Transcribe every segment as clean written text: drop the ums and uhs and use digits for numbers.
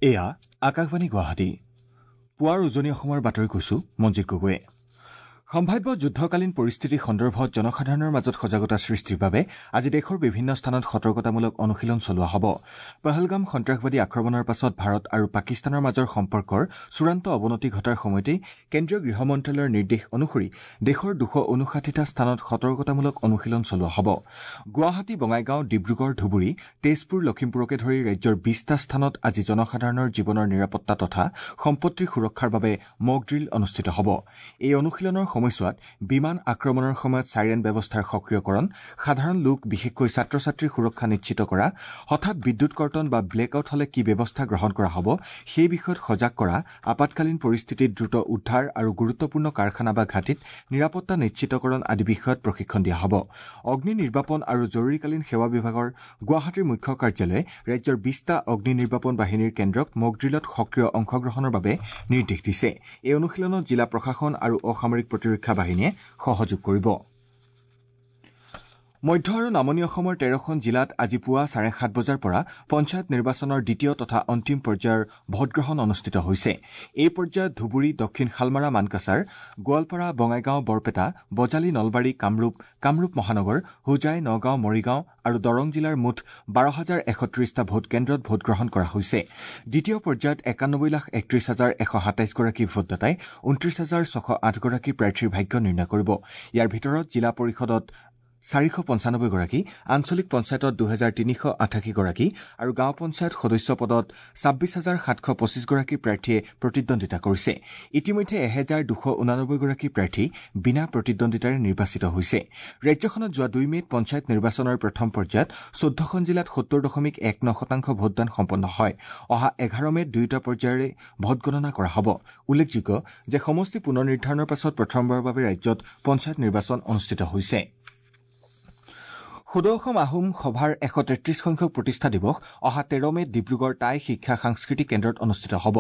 এয়া আকাশবাণী গুৱাহাটী। পুৱাৰ উজনি অসমৰ বাতৰি কৈছো মঞ্জিত গগৈয়ে। সম্ভাৱ্য যুদ্ধকালীন পৰিস্থিতি সন্দৰ্ভত জনসাধাৰণৰ মাজত সজাগতা সৃষ্টিৰ বাবে আজি দেশৰ বিভিন্ন স্থানত সতৰ্কতামূলক অনুশীলন চলোৱা হ'ব। পহলগাম সন্ত্ৰাসবাদী আক্ৰমণৰ পাছত ভাৰত আৰু পাকিস্তানৰ মাজৰ সম্পৰ্কৰ চূড়ান্ত অৱনতি ঘটাৰ সময়তেই কেন্দ্ৰীয় গৃহ মন্ত্ৰালয়ৰ নিৰ্দেশ অনুসৰি দেশৰ 259টা স্থানত সতৰ্কতামূলক অনুশীলন চলোৱা হ'ব। গুৱাহাটী, বঙাইগাঁও, ডিব্ৰুগড়, ধুবুৰী, তেজপুৰ, লখিমপুৰকে ধৰি ৰাজ্যৰ 20টা স্থানত আজি জনসাধাৰণৰ জীৱনৰ নিৰাপত্তা তথা সম্পত্তিৰ সুৰক্ষাৰ বাবে মক ড্ৰিল অনুষ্ঠিত হ'ব। এই অনুশীলনৰ সময়ছোৱাত বিমান আক্ৰমণৰ সময়ত চাইৰেন ব্যৱস্থাৰ সক্ৰিয়কৰণ, সাধাৰণ লোক বিশেষকৈ ছাত্ৰ ছাত্ৰীৰ সুৰক্ষা নিশ্চিত কৰা, হঠাৎ বিদ্যুৎ কৰ্তন বা ব্লেক আউট হলে কি ব্যৱস্থা গ্ৰহণ কৰা হ'ব সেই বিষয়ত সজাগ কৰা, আপাতকালীন পৰিস্থিতিত দ্ৰুত উদ্ধাৰ আৰু গুৰুত্বপূৰ্ণ কাৰখানা বা ঘাটিত নিৰাপত্তা নিশ্চিতকৰণ আদি বিষয়ত প্ৰশিক্ষণ দিয়া হ'ব। অগ্নি নিৰ্বাপন আৰু জৰুৰীকালীন সেৱা বিভাগৰ গুৱাহাটীৰ মুখ্য কাৰ্যালয়ে ৰাজ্যৰ 20টা অগ্নি নিৰ্বাপন বাহিনীৰ কেন্দ্ৰক মক ড্ৰিলত সক্ৰিয় অংশগ্ৰহণৰ বাবে নিৰ্দেশ দিছে। এই অনুশীলনত জিলা প্ৰশাসন আৰু অসামৰিক প্ৰতিৰক্ষা বাহিনীয়ে সহযোগ কৰিব। মধ্য আৰু নামনি অসমৰ 13খন জিলাত আজি পুৱা 7:30 বজাৰ পৰা পঞ্চায়ত নিৰ্বাচনৰ দ্বিতীয় তথা অন্তিম পৰ্যায়ৰ ভোটগ্ৰহণ অনুষ্ঠিত হৈছে। এই পৰ্যায়ত ধুবুৰী, দক্ষিণ শালমাৰা মানকাছাৰ, গোৱালপাৰা, বঙাইগাঁও, বৰপেটা, বজালী, নলবাৰী, কামৰূপ, কামৰূপ মহানগৰ, হোজাই, নগাঁও, মৰিগাঁও আৰু দৰং জিলাৰ মুঠ 12,130টা ভোট কেন্দ্ৰত ভোটগ্ৰহণ কৰা হৈছে। দ্বিতীয় পৰ্যায়ত 91,31,127 গৰাকী ভোটদাতাই 29,608 গৰাকী প্ৰাৰ্থীৰ ভাগ্য নিৰ্ণয় কৰিব। ইয়াৰ ভিতৰত জিলা পৰিষদত 495 গৰাকী, আঞ্চলিক পঞ্চায়তত 2,388 গৰাকী আৰু গাঁও পঞ্চায়ত সদস্য পদত 26,725 গৰাকী প্ৰাৰ্থীয়ে প্ৰতিদ্বন্দ্বিতা কৰিছে। ইতিমধ্যে 1,289 গৰাকী প্ৰাৰ্থী বিনা প্ৰতিদ্বন্দ্বিতাৰে নিৰ্বাচিত হৈছে। ৰাজ্যখনত যোৱা 2 মে'ত পঞ্চায়ত নিৰ্বাচনৰ প্ৰথম পৰ্যায়ত 14খন জিলাত 70.19% ভোটদান সম্পন্ন হয়। অহা 11 মে'ত দুয়োটা পৰ্যায়ৰে ভোটগণনা কৰা হ'ব। উল্লেখযোগ্য যে সমষ্টি পুনৰ নিৰ্ধাৰণৰ পাছত প্ৰথমবাৰৰ বাবে ৰাজ্যত পঞ্চায়ত নিৰ্বাচন অনুষ্ঠিত হৈছে। সদৌ অসম আহোম সভাৰ 133 সংখ্যক প্ৰতিষ্ঠা দিৱস অহা 13 মে'ত ডিব্ৰুগড় টাই শিক্ষা সাংস্কৃতিক কেন্দ্ৰত অনুষ্ঠিত হ'ব।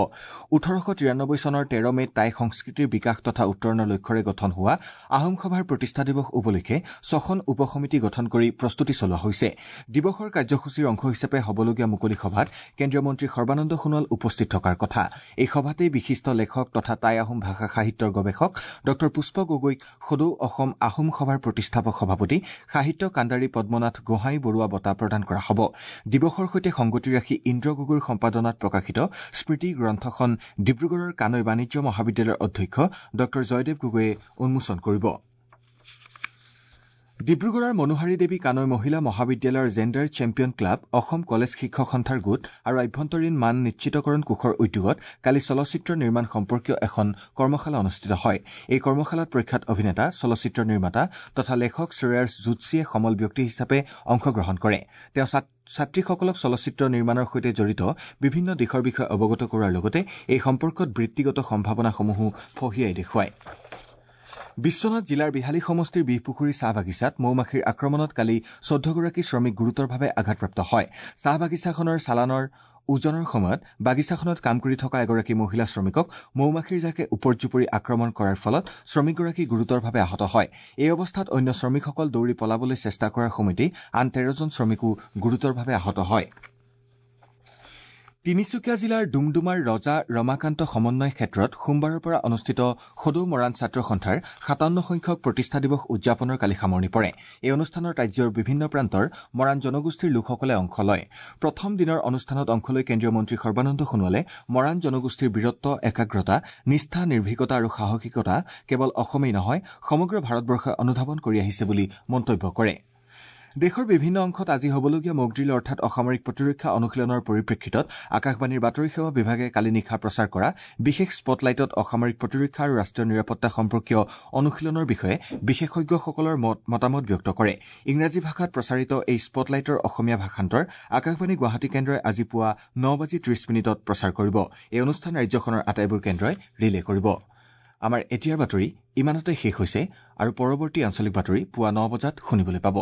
1893 চনৰ 13 মে'ত টাই সংস্কৃতিৰ বিকাশ তথা উত্তৰণৰ লক্ষ্যৰে গঠন হোৱা আহোম সভাৰ প্ৰতিষ্ঠা দিৱস উপলক্ষে 6খন উপসমিতি গঠন কৰি প্ৰস্তুতি চলোৱা হৈছে। দিৱসৰ কাৰ্যসূচীৰ অংশ হিচাপে হ'বলগীয়া মুকলি সভাত কেন্দ্ৰীয় মন্ত্ৰী সৰ্বানন্দ সোণোৱাল উপস্থিত থকাৰ কথা। এই সভাতেই বিশিষ্ট লেখক তথা টাই আহোম ভাষা সাহিত্যৰ গৱেষক ড পুষ্প গগৈক সদৌ অসম আহোম সভাৰ প্ৰতিষ্ঠাপক সভাপতি সাহিত্য কাণ্ডাৰী পদ্মনাথ গোহাঁই বৰুৱা বঁটা প্ৰদান কৰা হ'ব। দিৱসৰ সৈতে সংগতি ৰাখি ইন্দ্ৰ গগৈৰ সম্পাদনাত প্ৰকাশিত স্মৃতি গ্ৰন্থখন ডিব্ৰুগড়ৰ কানৈ বাণিজ্য মহাবিদ্যালয়ৰ অধ্যক্ষ ড জয়দেৱ গগৈয়ে উন্মোচন কৰিব। ডিব্ৰুগড়ৰ মনোহাৰী দেৱী কানৈ মহিলা মহাবিদ্যালয়ৰ gender champion club, Assam college শিক্ষক সন্থাৰ গোট আৰু আভ্যন্তৰীণ মান নিশ্চিতকৰণ কোষৰ উদ্যোগত কালি চলচ্চিত্ৰ নিৰ্মাণ সম্পৰ্কীয় এখন কৰ্মশালা অনুষ্ঠিত হয়। এই কৰ্মশালাত প্ৰখ্যাত অভিনেতা, চলচ্চিত্ৰ নিৰ্মাতা তথা লেখক শ্ৰেয়াছ জুটছিয়ে সমল ব্যক্তি হিচাপে অংশগ্ৰহণ কৰে। তেওঁ ছাত্ৰীসকলক চলচ্চিত্ৰ নিৰ্মাণৰ সৈতে জড়িত বিভিন্ন দিশৰ বিষয়ে অৱগত কৰোৱাৰ লগতে এই সম্পৰ্কত বৃত্তিগত সম্ভাৱনাসমূহো ফহিয়াই দেখুৱায়। বিশ্বনাথ জিলাৰ বিহালী সমষ্টিৰ বিহপুখুৰী চাহ বাগিচাত মৌমাখিৰ আক্ৰমণত কালি 14গৰাকী শ্ৰমিক গুৰুতৰভাৱে আঘাতপ্ৰাপ্ত হয়। চাহ বাগিচাখনৰ চালানৰ ওজনৰ সময়ত বাগিচাখনত কাম কৰি থকা এগৰাকী মহিলা শ্ৰমিকক মৌমাখিৰ জাকে উপৰ্যুপৰি আক্ৰমণ কৰাৰ ফলত শ্ৰমিকগৰাকী গুৰুতৰভাৱে আহত হয়। এই অৱস্থাত অন্য শ্ৰমিকসকল দৌৰি পলাবলৈ চেষ্টা কৰাৰ সময়তেই আন 13জন শ্ৰমিকো গুৰুতৰভাৱে আহত হয়। তিনিচুকীয়া জিলাৰ ডুমডুমাৰ ৰজা ৰমাকান্ত সমন্বয় ক্ষেত্ৰত সোমবাৰৰ পৰা অনুষ্ঠিত সদৌ মৰাণ ছাত্ৰ সন্থাৰ 57 সংখ্যক প্ৰতিষ্ঠা দিৱস উদযাপনৰ কালি সামৰণি পৰে। এই অনুষ্ঠানত ৰাজ্যৰ বিভিন্ন প্ৰান্তৰ মৰাণ জনগোষ্ঠীৰ লোকসকলে অংশ লয়। প্ৰথম দিনৰ অনুষ্ঠানত অংশ লৈ কেন্দ্ৰীয় মন্ত্ৰী সৰ্বানন্দ সোণোৱালে মৰাণ জনগোষ্ঠীৰ বীৰত্ব, একাগ্ৰতা, নিষ্ঠা, নিৰ্ভীকতা আৰু সাহসিকতা কেৱল অসমেই নহয় সমগ্ৰ ভাৰতবৰ্ষই অনুধাৱন কৰি আহিছে বুলি মন্তব্য কৰে। দেশৰ বিভিন্ন অংশত আজি হ'বলগীয়া মকড্ৰিল অৰ্থাৎ অসামৰিক প্ৰতিৰক্ষা অনুশীলনৰ পৰিপ্ৰেক্ষিতত আকাশবাণীৰ বাতৰি সেৱা বিভাগে কালি নিশা প্ৰচাৰ কৰা বিশেষ স্পটলাইটত অসামৰিক প্ৰতিৰক্ষা আৰু ৰাষ্ট্ৰীয় নিৰাপত্তা সম্পৰ্কীয় অনুশীলনৰ বিষয়ে বিশেষজ্ঞসকলৰ মতামত ব্যক্ত কৰে। ইংৰাজী ভাষাত প্ৰচাৰিত এই স্পটলাইটৰ অসমীয়া ভাষান্তৰ আকাশবাণী গুৱাহাটী কেন্দ্ৰই আজি পুৱা 9:30 প্ৰচাৰ কৰিব। এই অনুষ্ঠান ৰাজ্যখনৰ আটাইবোৰ কেন্দ্ৰই ৰিলে কৰিব। আমাৰ এতিয়াৰ বাতৰি ইমানতে শেষ হৈছে আৰু পৰৱৰ্তী আঞ্চলিক বাতৰি পুৱা 9 বজাত শুনিবলৈ পাব।